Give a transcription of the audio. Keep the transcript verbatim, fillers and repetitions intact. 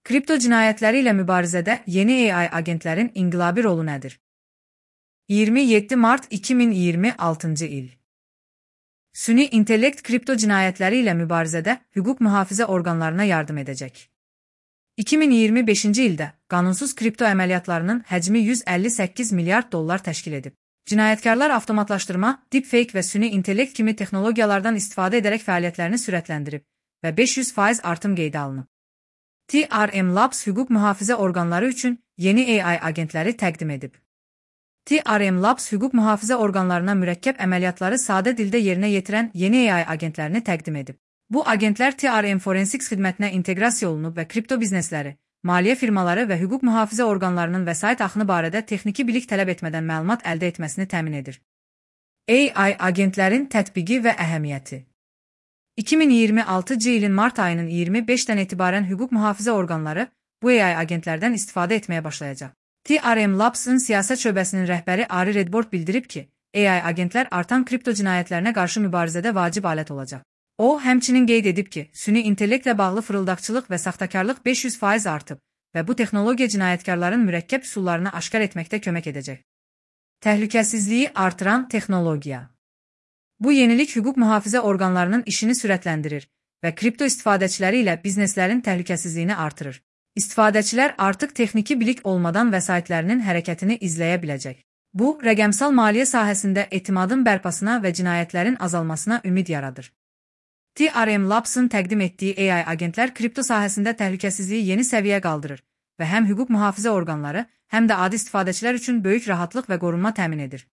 Kripto cinayətləri ilə mübarizədə yeni A I agentlərin inqilabi rolu nədir? iyirmi yeddi mart iki min iyirmi altıncı il. Süni intellekt kripto cinayətləri ilə mübarizədə hüquq mühafizə orqanlarına yardım edəcək. iki min iyirmi beşinci ildə qanunsuz kripto əməliyyatlarının həcmi yüz əlli səkkiz milyard dollar təşkil edib. Cinayətkarlar avtomatlaşdırma, deepfake və süni intellekt kimi texnologiyalardan istifadə edərək fəaliyyətlərini sürətləndirib və beş yüz faiz artım qeydə alınıb. T R M Labs hüquq mühafizə orqanları üçün yeni A I agentləri təqdim edib. T R M Labs hüquq mühafizə orqanlarına mürəkkəb əməliyyatları sadə dildə yerinə yetirən yeni A I agentlərini təqdim edib. Bu agentlər T R M Forensics xidmətinə inteqrasiya olunub və kripto biznesləri, maliyyə firmaları və hüquq mühafizə orqanlarının vəsait axını barədə texniki bilik tələb etmədən məlumat əldə etməsini təmin edir. A I agentlərin tətbiqi və əhəmiyyəti. iki min iyirmi altıncı ilin mart ayının iyirmi beşindən etibarən hüquq mühafizə orqanları bu A I agentlərdən istifadə etməyə başlayacaq. T R M Labs-ın siyasət şöbəsinin rəhbəri Ari Redbord bildirib ki, A I agentlər artan kripto cinayətlərinə qarşı mübarizədə vacib alət olacaq. O, həmçinin qeyd edib ki, süni intellektlə bağlı fırıldaqçılıq və saxtakarlıq beş yüz faiz artıb və bu texnologiya cinayətkarların mürəkkəb üsullarını aşkar etməkdə kömək edəcək. Təhlükəsizliyi artıran texnologiya. Bu yenilik hüquq mühafizə orqanlarının işini sürətləndirir və kripto istifadəçiləri ilə bizneslərin təhlükəsizliyini artırır. İstifadəçilər artıq texniki bilik olmadan vəsaitlərinin hərəkətini izləyə biləcək. Bu, rəqəmsal maliyyə sahəsində etimadın bərpasına və cinayətlərin azalmasına ümid yaradır. T R M Labs-ın təqdim etdiyi A I agentlər kripto sahəsində təhlükəsizliyi yeni səviyyə qaldırır və həm hüquq mühafizə orqanları, həm də adi istifadəçilər üçün böyük rahatlıq və qorunma təmin edir.